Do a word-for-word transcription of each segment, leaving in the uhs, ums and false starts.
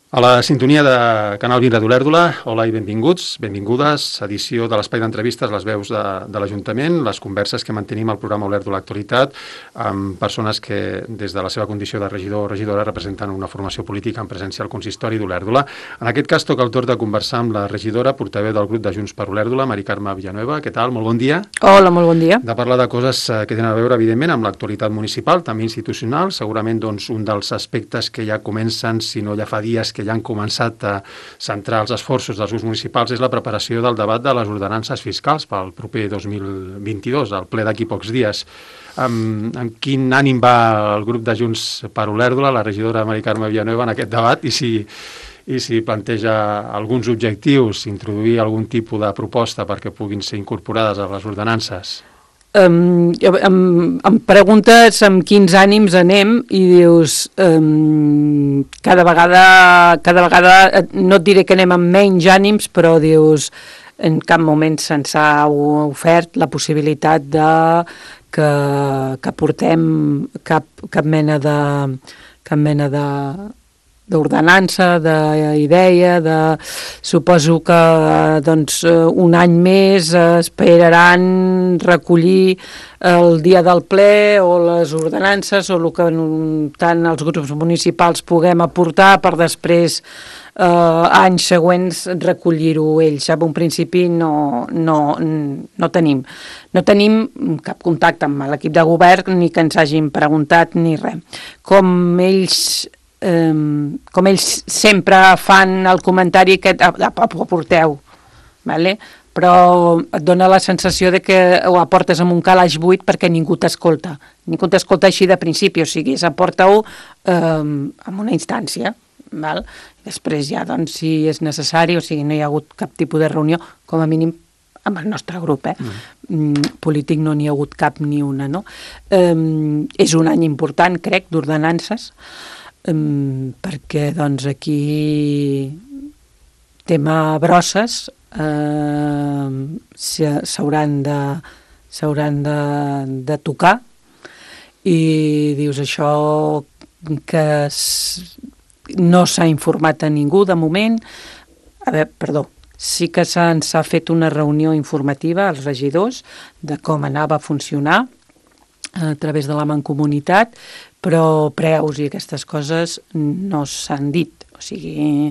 A la sintonia de Canal vint d'Olèrdola, hola i benvinguts, benvingudes, edició de l'espai d'entrevistes, les veus de, de l'Ajuntament, les converses que mantenim al programa Olèrdola Actualitat amb persones que des de la seva condició de regidor o regidora representen una formació política en presència al consistori d'Olèrdola. En aquest cas toca el torn de conversar amb la regidora, portaveu del grup de Junts per Olèrdola, Mari Carme Villanueva. Què tal? Molt bon dia. Hola, molt bon dia. De parlar de coses que tenen a veure, evidentment, amb l'actualitat municipal, també institucional. Segurament doncs, un dels aspectes que ja comencen, si no ja fa dies que ja han començat a centrar els esforços dels grups municipals és la preparació del debat de les ordenances fiscals pel proper dos mil vint-i-dos, el ple d'aquí pocs dies. Amb, amb quin ànim va el grup de Junts per Olèrdola, la regidora Mari Carme Villanueva, en aquest debat, i si, i si planteja alguns objectius, introduir algun tipus de proposta perquè puguin ser incorporades a les ordenances? Um, em, em preguntes amb quins ànims anem i dius um, cada vegada cada vegada no et diré que anem amb menys ànims, però dius en cap moment se'ns ha ofert la possibilitat de que, que portem cap, cap mena de cap mena de d'ordenança, d'idea, de... suposo que doncs, un any més esperaran recollir el dia del ple o les ordenances o el que tant els grups municipals puguem aportar per després eh, anys següents recollir-ho ells. En un principi no, no, no tenim. No tenim cap contacte amb l'equip de govern ni que ens hagin preguntat ni res. Com ells Um, com ells sempre fan el comentari que aporteu, vale? Però et dona la sensació de que ho aportes amb un calaix buit perquè ningú t'escolta. Ningú t'escolta així de principi, o sigui, aporta-ho um, en una instància. Val? Després ja, doncs, si és necessari, o sigui, no hi ha hagut cap tipus de reunió, com a mínim amb el nostre grup, eh? Mm. Polític no n'hi ha hagut cap ni una, no? Um, és un any important, crec, d'ordenances, Um, perquè doncs aquí tema brosses uh, s'hauran de s'hauran de, de tocar i dius això que no s'ha informat a ningú de moment. A veure, perdó, sí que se'ns ha fet una reunió informativa als regidors de com anava a funcionar a través de la Mancomunitat, però preus i aquestes coses no s'han dit. O sigui,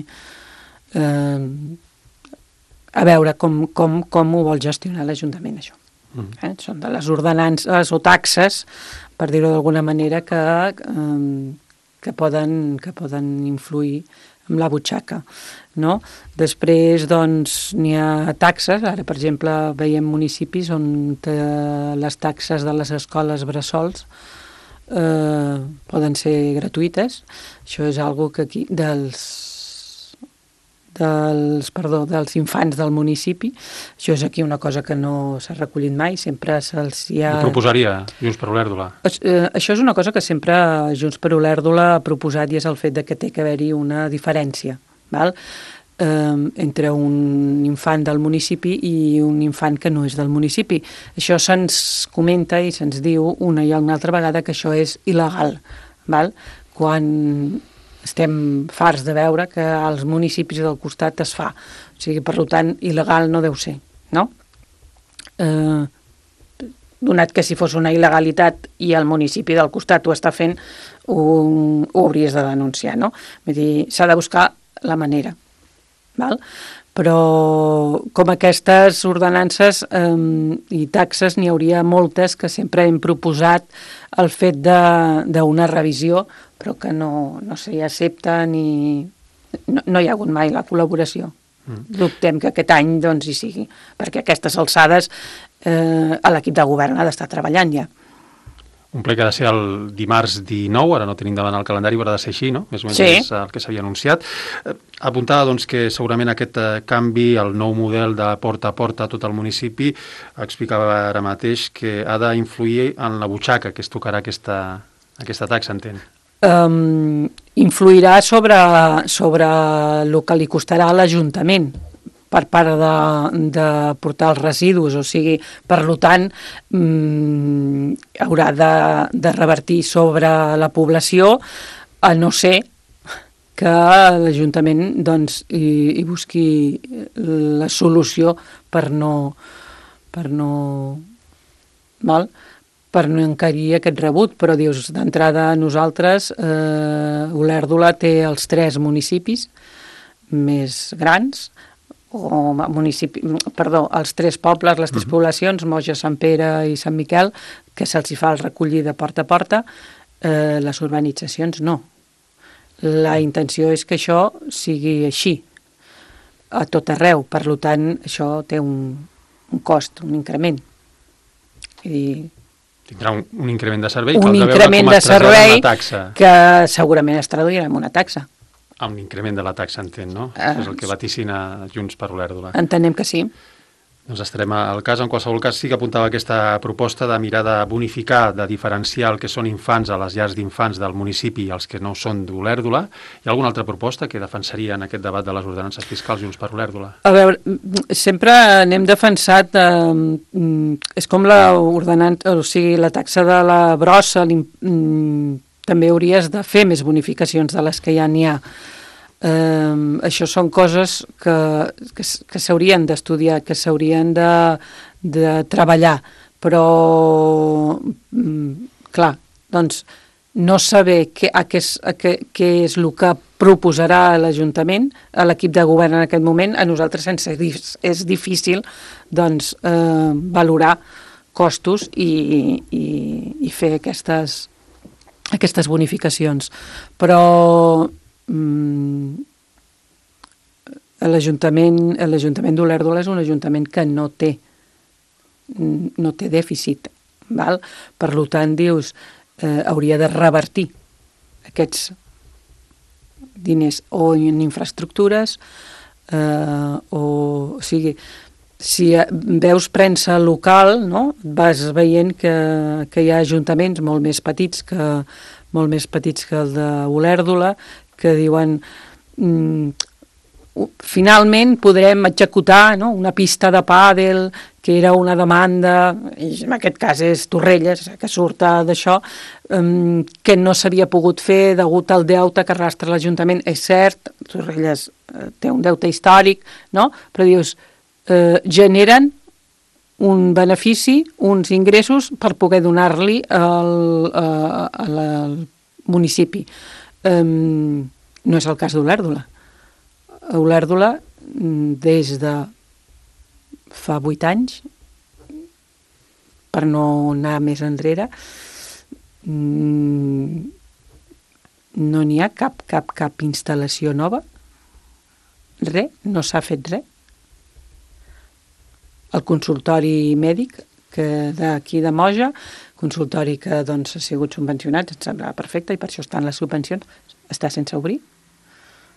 eh, a veure com, com, com ho vol gestionar l'Ajuntament, això. Mm. Eh? Són de les ordenances o taxes, per dir-ho d'alguna manera, que, eh, que, poden, que poden influir amb la butxaca, no? Després, doncs, n'hi ha taxes. Ara, per exemple, veiem municipis on les taxes de les escoles bressols eh, poden ser gratuïtes. Això és algo que aquí, dels, dels, perdó, dels infants del municipi, això és aquí una cosa que no s'ha recollit mai, sempre se'ls hi ha... Ho proposaria Junts per Olèrdola? Eh, això és una cosa que sempre Junts per Olèrdola ha proposat i és el fet de que té que haver-hi una diferència, val? Eh, entre un infant del municipi i un infant que no és del municipi. Això se'ns comenta i se'ns diu una i una altra vegada que això és il·legal, val? Quan estem farts de veure que als municipis del costat es fa. O sigui, per tant, il·legal no deu ser, no? Eh, donat que si fos una il·legalitat i el municipi del costat ho està fent, ho, ho hauries de denunciar, no? Vull dir, s'ha de buscar la manera, val? Però com aquestes ordenances eh, i taxes n'hi hauria moltes que sempre hem proposat el fet d'una revisió, però que no, no s'hi accepta ni... No, no hi ha hagut mai la col·laboració. Mm. Dubtem que aquest any doncs hi sigui, perquè a aquestes alçades eh, l'equip de govern ha d'estar treballant ja. Un ple que ha de ser el dimarts dinou, ara no tenim davant el calendari, però ha de ser així, no? Més o menys sí. És el que s'havia anunciat. Eh, apuntava doncs, que segurament aquest eh, canvi, el nou model de porta a porta a tot el municipi, explicava ara mateix que ha d'influir en la butxaca que es tocarà aquesta, aquesta taxa, entenc. Um, influirà sobre, sobre el que li costarà a l'Ajuntament per part de, de portar els residus, o sigui, per tant, mmm, haurà de, de revertir sobre la població, a no ser que l'Ajuntament doncs, hi, hi busqui la solució per no, per no, val? per no encarir aquest rebut, però dius, d'entrada nosaltres, eh, Olèrdola té els tres municipis més grans, o municipi, perdó, els tres pobles, les tres uh-huh. poblacions, Moja, Sant Pere i Sant Miquel, que se'ls hi fa el recollir de porta a porta, eh, les urbanitzacions no. La intenció és que això sigui així, a tot arreu, per tant, això té un, un cost, un increment. I tindrà un, un increment de servei, un increment de servei que segurament es traduirà en una taxa. Amb l'increment de la taxa, entenc, no? Uh, és el que vaticina Junts per Olèrdola. Entenem que sí. Doncs estarem al cas. En qualsevol cas sí que apuntava aquesta proposta de mirar de bonificar, de diferenciar el que són infants a les llars d'infants del municipi i els que no són d'Olèrdola. Hi ha alguna altra proposta que defensaria en aquest debat de les ordenances fiscals Junts per Olèrdola? A veure, sempre n'hem defensat, eh, és com la ordenança, o sigui, la taxa de la brossa, també hauries de fer més bonificacions de les que ja n'hi ha. Uh, això són coses que, que, que s'haurien d'estudiar, que s'haurien de, de treballar, però um, clar, doncs no saber què, a què, a què, què és el que proposarà l'Ajuntament, a l'equip de govern en aquest moment, a nosaltres ens és difícil doncs, uh, valorar costos i, i, i fer aquestes, aquestes bonificacions. Però l'Ajuntament l'Ajuntament d'Olèrdola és un ajuntament que no té no té dèficit, val? Per tant, dius, eh, hauria de revertir aquests diners o en infraestructures eh, o, o sigui, si veus premsa local, no? Vas veient que, que hi ha ajuntaments molt més petits que, molt més petits que el d'Olèrdola, que diuen mm, finalment podrem executar, no? Una pista de pàdel, que era una demanda, i en aquest cas és Torrelles, que surt d'això, um, que no s'havia pogut fer degut al deute que arrastra l'Ajuntament. És cert, Torrelles eh, té un deute històric, no? Però dius, eh, generen un benefici, uns ingressos per poder donar-li al, al, al municipi. Um, no és el cas d'Olèrdola. Olèrdola, des de fa vuit anys, per no anar més enrere, no n'hi ha cap, cap, cap instal·lació nova. Res, no s'ha fet res. El consultori mèdic que d'aquí de Moja, consultori que doncs, ha sigut subvencionat, ens sembla perfecte, i per això estan les subvencions, està sense obrir.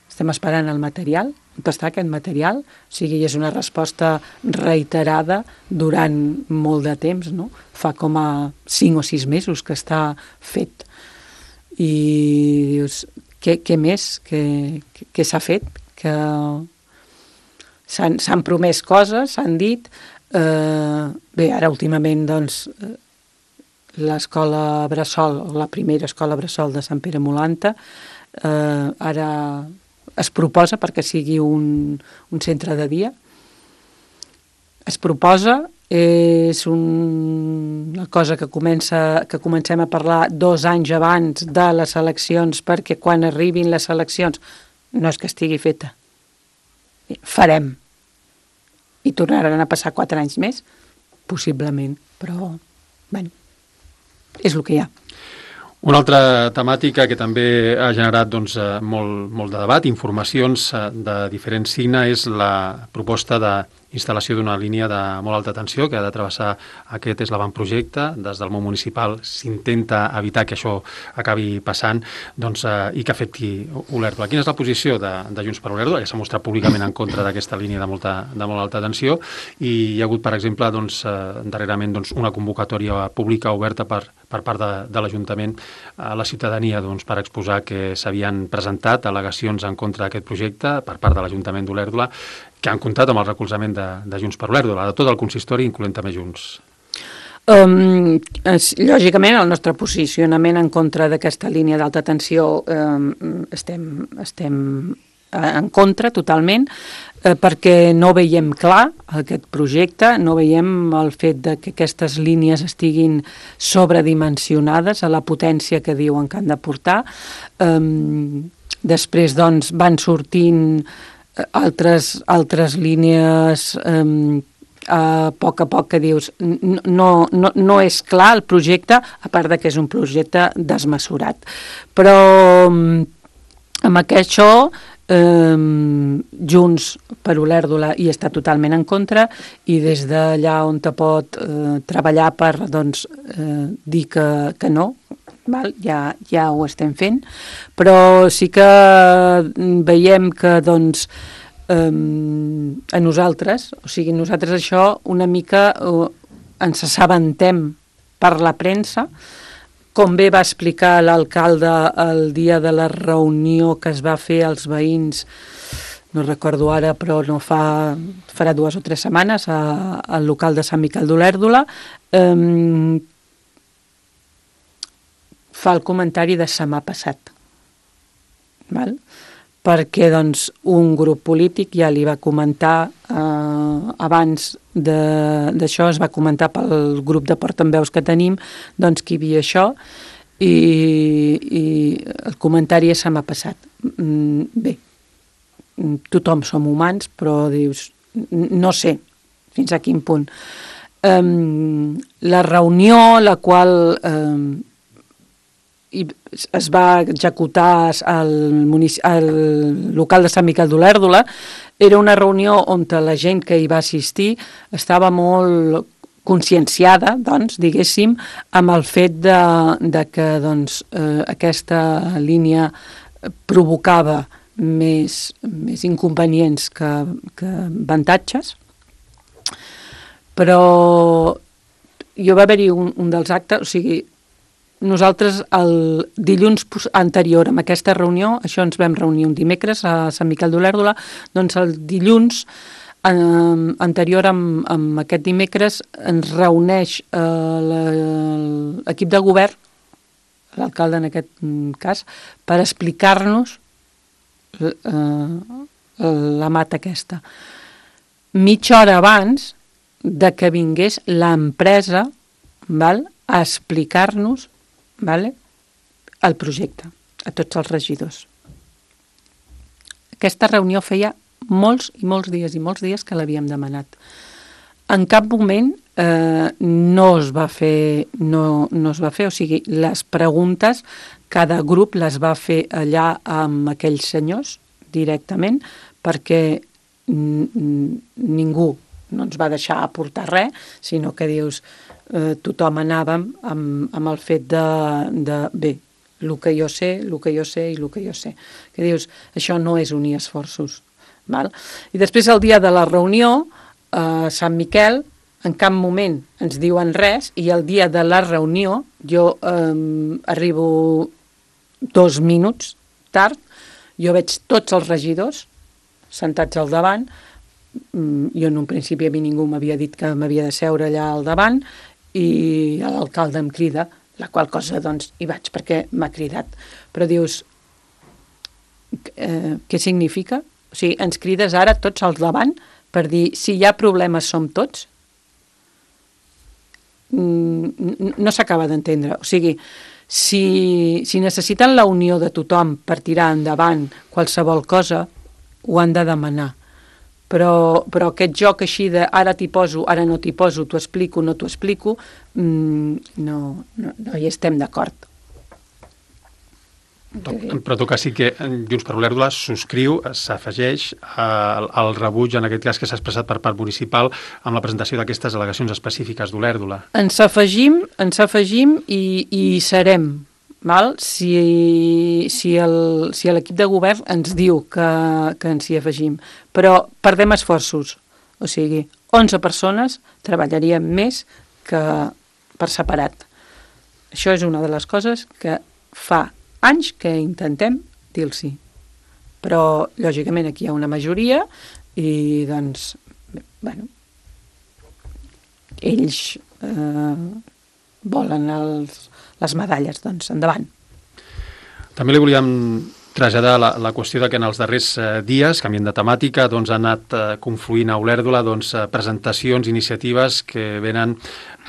Estem esperant el material, on està aquest material, o sigui, és una resposta reiterada durant molt de temps, no? Fa com a cinc o sis mesos que està fet. I dius, què, què més? Què, què s'ha fet? Que s'han, s'han promès coses, s'han dit. Eh, bé, ara últimament, doncs, l'escola Bressol, la primera escola Bressol de Sant Pere Molanta, eh, ara es proposa perquè sigui un, un centre de dia. Es proposa, és un, una cosa que, comença, que comencem a parlar dos anys abans de les eleccions, perquè quan arribin les eleccions no és que estigui feta. Farem. I tornaran a passar quatre anys més, possiblement, però, bueno, és el que hi ha. Una altra temàtica que també ha generat doncs, molt, molt de debat, informacions de diferent signe, és la proposta d'instal·lació d'una línia de molt alta tensió que ha de travessar aquest eslavantprojecte. Des del món municipal s'intenta evitar que això acabi passant doncs, i que afecti Olèrdola. Quina és la posició de, de Junts per Olèrdola, que s'ha mostrat públicament en contra d'aquesta línia de, molta, de molt alta tensió, i hi ha hagut, per exemple, doncs, darrerament doncs, una convocatòria pública oberta per, per part de, de l'Ajuntament a la ciutadania doncs, per exposar que s'havien presentat al·legacions en contra d'aquest projecte per part de l'Ajuntament d'Olèrdola, que han comptat amb el recolzament de, de Junts per Olèrdola, de tot el consistori, incloent també Junts. Um, es, lògicament, el nostre posicionament en contra d'aquesta línia d'alta tensió um, estem, estem en contra totalment, eh, perquè no veiem clar aquest projecte, no veiem el fet de que aquestes línies estiguin sobredimensionades a la potència que diuen que han de portar. Um, després, doncs, van sortint altres, altres línies um, a poc a poc que dius no, no, no és clar el projecte, a part de que és un projecte desmesurat. Però um, amb això Um, Junts per Olèrdola hi està totalment en contra, i des d'allà on te pot uh, treballar per doncs, uh, dir que, que no, val? Ja, ja ho estem fent, però sí que veiem que doncs, um, a nosaltres, o sigui, nosaltres això una mica uh, ens assabentem per la premsa, com bé va explicar l'alcalde el dia de la reunió que es va fer als veïns, no recordo ara, però no fa, farà dues o tres setmanes, a, al local de Sant Miquel d'Olèrdola, eh, fa el comentari de se m'ha passat. Val? Perquè doncs, un grup polític ja li va comentar eh, abans d'això, es va comentar pel grup de portaveus que tenim, doncs que hi havia això, i, i el comentari se m'ha passat. Mm, bé, tothom som humans, però dius, no sé fins a quin punt. Um, la reunió, la qual um, i es va executar al, al local de Sant Miquel d'Olèrdola, era una reunió on la gent que hi va assistir estava molt conscienciada, doncs, diguéssim, amb el fet de, de que doncs, eh, aquesta línia provocava més, més inconvenients que, que avantatges. Però jo va haver-hi un, un dels actes, o sigui, nosaltres el dilluns anterior a aquesta reunió, això ens vam reunir un dimecres a Sant Miquel d'Olèrdola, doncs el dilluns eh, anterior amb, amb aquest dimecres ens reuneix eh, l'equip de govern, l'alcalde en aquest cas, per explicar-nos eh, la mata aquesta. Mitja hora abans de que vingués l'empresa, val, a explicar-nos, vale, el projecte a tots els regidors. Aquesta reunió feia molts i molts dies i molts dies que l'havíem demanat. En cap moment eh, no es va fer, no, no es va fer, o sigui, les preguntes cada grup les va fer allà amb aquells senyors directament, perquè ningú no ens va deixar aportar res, sinó que dius, eh, tothom anàvem amb, amb el fet de, de bé, el que jo sé, el que jo sé i el que jo sé. Que dius, això no és unir esforços. Val? I després el dia de la reunió, a eh, Sant Miquel, en cap moment ens diuen res, i el dia de la reunió, jo eh, arribo dos minuts tard, jo veig tots els regidors sentats al davant. Jo en un principi a mi ningú m'havia dit que m'havia de seure allà al davant, i l'alcalde em crida, la qual cosa doncs hi vaig perquè m'ha cridat. Però dius, eh, què significa? O sigui, ens crides ara tots al davant per dir, si hi ha problemes som tots? No s'acaba d'entendre. O sigui, si, si necessiten la unió de tothom per tirar endavant qualsevol cosa, ho han de demanar. Però, però aquest joc així de ara t'hi poso, ara no t'hi poso, t'ho explico, no t'ho explico, mmm, no, no, no hi estem d'acord. En tot cas sí que Junts per Olèrdola subscriu, s'afegeix al, al rebuig, en aquest cas que s'ha expressat per part municipal, amb la presentació d'aquestes al·legacions específiques d'Olèrdola. Ens afegim, ens afegim i, i hi serem. Val? Si, si el, si l'equip de govern ens diu que, que ens hi afegim, però perdem esforços, o sigui, onze persones treballaríem més que per separat. Això és una de les coses que fa anys que intentem dir-los, però lògicament aquí hi ha una majoria i doncs, bé, bueno, ells eh, volen els, les medalles. Doncs endavant. També li volíem traslladar la, la qüestió de que en els darrers eh, dies, canviant de temàtica, doncs, han anat eh, confluint a Olèrdola doncs, eh, presentacions, iniciatives que venen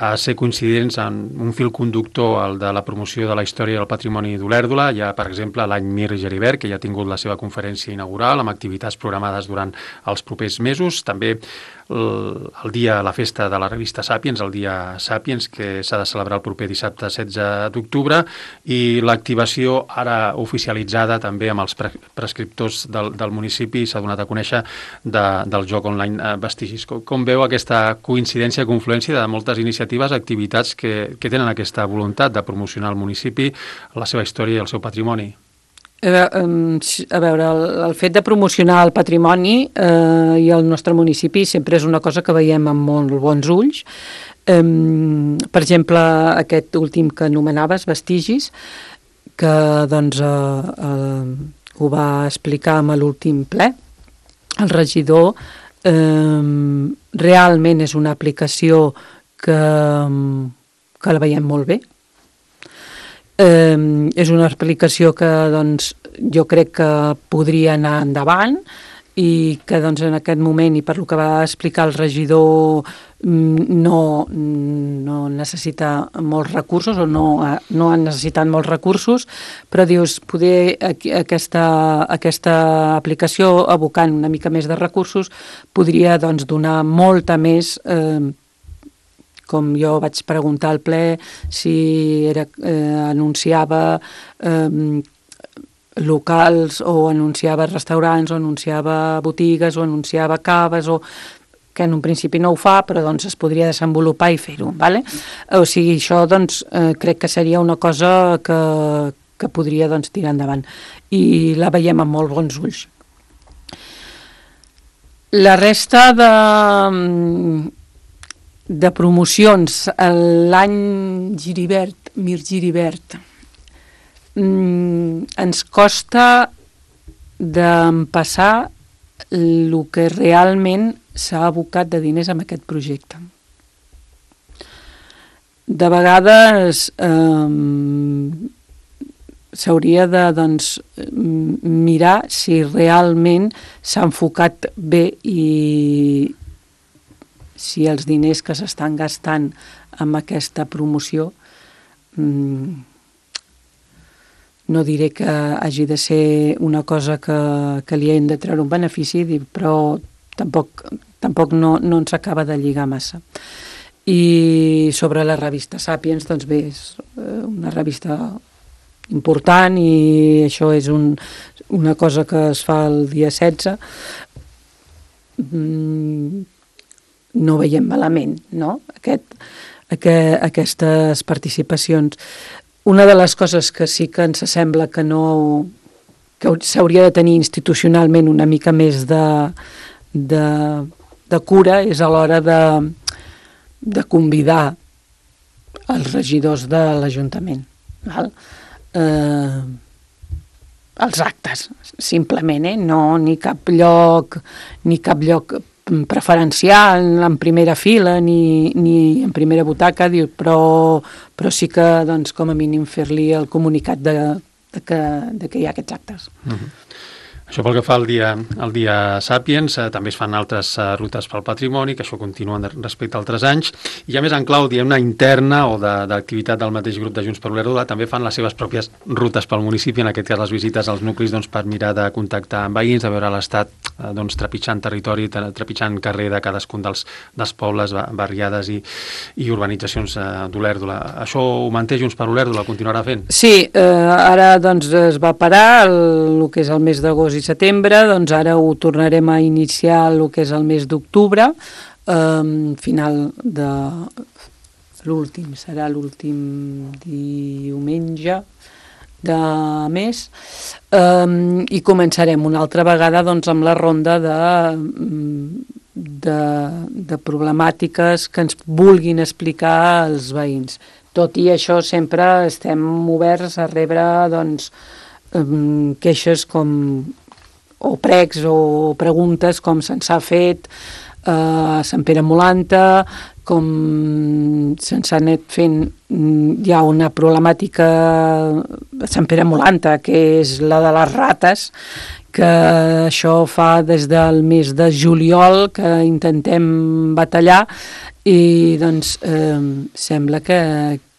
a ser coincidents en un fil conductor, el de la promoció de la història i el patrimoni d'Olèrdola. Hi ha, per exemple, l'any Mir Geribert, que ja ha tingut la seva conferència inaugural amb activitats programades durant els propers mesos. També el, el dia, la festa de la revista Sàpiens, el dia Sàpiens, que s'ha de celebrar el proper dissabte setze d'octubre, i l'activació ara oficialitzada també amb els pre prescriptors del, del municipi, s'ha donat a conèixer de, del joc online eh, Vestigis. Com, com veu aquesta coincidència, confluència de moltes iniciatives, activitats que, que tenen aquesta voluntat de promocionar el municipi, la seva història i el seu patrimoni? A veure, el, el fet de promocionar el patrimoni eh, i el nostre municipi sempre és una cosa que veiem amb molt bons ulls. Eh, per exemple, aquest últim que anomenaves, Vestigis, que doncs eh, eh, ho va explicar amb l'últim ple, el regidor, eh, realment és una aplicació que, que la veiem molt bé. Eh, és una aplicació que doncs, jo crec que podria anar endavant i que doncs, en aquest moment, i per lo que va explicar el regidor, no, no necessita molts recursos o no, no han necessitat molts recursos, però dius, poder aquesta, aquesta aplicació, abocant una mica més de recursos, podria doncs, donar molta més eh, com jo vaig preguntar al ple si era, eh, anunciava eh, locals o anunciava restaurants o anunciava botigues o anunciava caves, o que en un principi no ho fa, però doncs es podria desenvolupar i fer-ho. Vale? O sigui, això doncs, eh, crec que seria una cosa que, que podria doncs, tirar endavant. I la veiem amb molt bons ulls. La resta de... de promocions, l'any Giribert, Mir Giribert, mm, ens costa d'empassar el que realment s'ha abocat de diners en aquest projecte. De vegades eh, s'hauria de doncs, mirar si realment s'ha enfocat bé i si els diners que s'estan gastant amb aquesta promoció, mmm, no diré que hagi de ser una cosa que, que li hem de treure un benefici, però tampoc, tampoc no, no ens acaba de lligar massa. I sobre la revista Sàpiens, doncs bé, és una revista important i això és un, una cosa que es fa el dia setze. Mm, no veiem malament, no? Aquest, aquest, aquestes participacions. Una de les coses que sí que ens sembla que no que s'hauria de tenir institucionalment una mica més de, de, de cura és a l'hora de, de convidar els regidors de l'Ajuntament. Eh, els actes, simplement, eh? No ni cap lloc, ni cap lloc preferencial en primera fila ni, ni en primera butaca, però, però sí que doncs, com a mínim fer-li el comunicat de, de, que, de que hi ha aquests actes. Uh-huh. Això pel que fa al dia, al dia Sàpiens, eh, també es fan altres eh, rutes pel patrimoni, que això continua respecte a altres anys, i a més en clau, diguem-ne, interna o d'activitat de, del mateix grup de Junts per Olèrdola, també fan les seves pròpies rutes pel municipi, en aquest cas les visites als nuclis doncs, per mirar de contactar amb veïns, de veure l'estat eh, doncs, trepitjant territori, trepitjant carrer de cadascun dels, dels pobles, barriades i, i urbanitzacions eh, d'Olèrdola. Això ho manté Junts per Olèrdola, continuarà fent? Sí, eh, ara doncs, es va parar el, el que és el mes d'agost i setembre, doncs ara ho tornarem a iniciar el que és el mes d'octubre, eh, final de l'últim, serà l'últim diumenge de mes, eh, i començarem una altra vegada doncs, amb la ronda de, de, de problemàtiques que ens vulguin explicar els veïns. Tot i això sempre estem oberts a rebre doncs, eh, queixes com o pregs o preguntes com se'ns ha fet a Sant Pere Molanta, com se'ns ha anat fent, hi ha una problemàtica a Sant Pere Molanta, que és la de les rates, que això fa des del mes de juliol que intentem batallar i doncs eh, sembla que,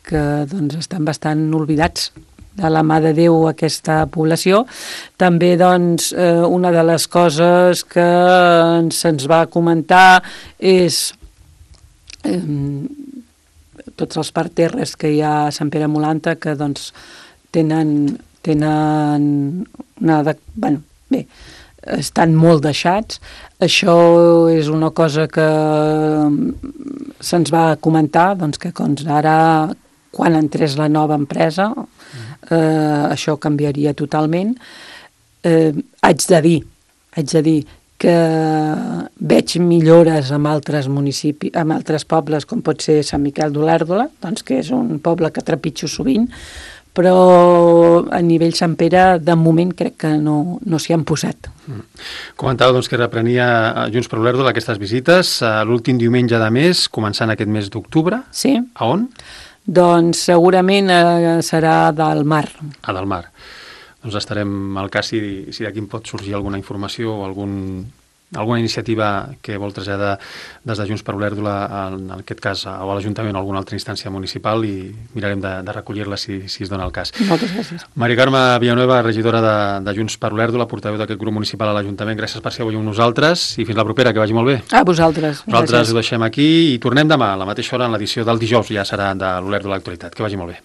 que doncs, estan bastant oblidats de la mà de Déu aquesta població. També doncs, eh, una de les coses que se'ns va comentar és eh, tots els parterres que hi ha a Sant Pere Molanta, que doncs tenen, tenen una... De, bueno, bé, estan molt deixats. Això és una cosa que se'ns va comentar, doncs que doncs, ara, quan entrés la nova empresa, eh, això canviaria totalment. Eh, haig de dir, haig de dir que veig millores amb altres municipis, amb altres pobles, com pot ser Sant Miquel d'Olèrdola, doncs que és un poble que trepitjo sovint, però a nivell Sant Pere, de moment, crec que no, no s'hi han posat. Mm. Comentava doncs, que reprenia Junts per Olèrdola aquestes visites l'últim diumenge de mes, començant aquest mes d'octubre. Sí. A on? Doncs segurament eh, serà del Mar. A del Mar. Doncs estarem al cas si, si d'aquí pot sorgir alguna informació o algun, alguna iniciativa que vol traslladar des de Junts per Olèrdola, en aquest cas, o a l'Ajuntament o a alguna altra instància municipal, i mirarem de, de recollir-la si, si es dona el cas. Moltes gràcies. Maria Carme Villanueva, regidora de, de Junts per Olèrdola, portaveu d'aquest grup municipal a l'Ajuntament, gràcies per ser avui amb nosaltres i fins la propera, que vagi molt bé. A vosaltres. Nosaltres ho deixem aquí i tornem demà a la mateixa hora en l'edició del dijous, ja serà de l'Olèrdola Actualitat. Que vagi molt bé.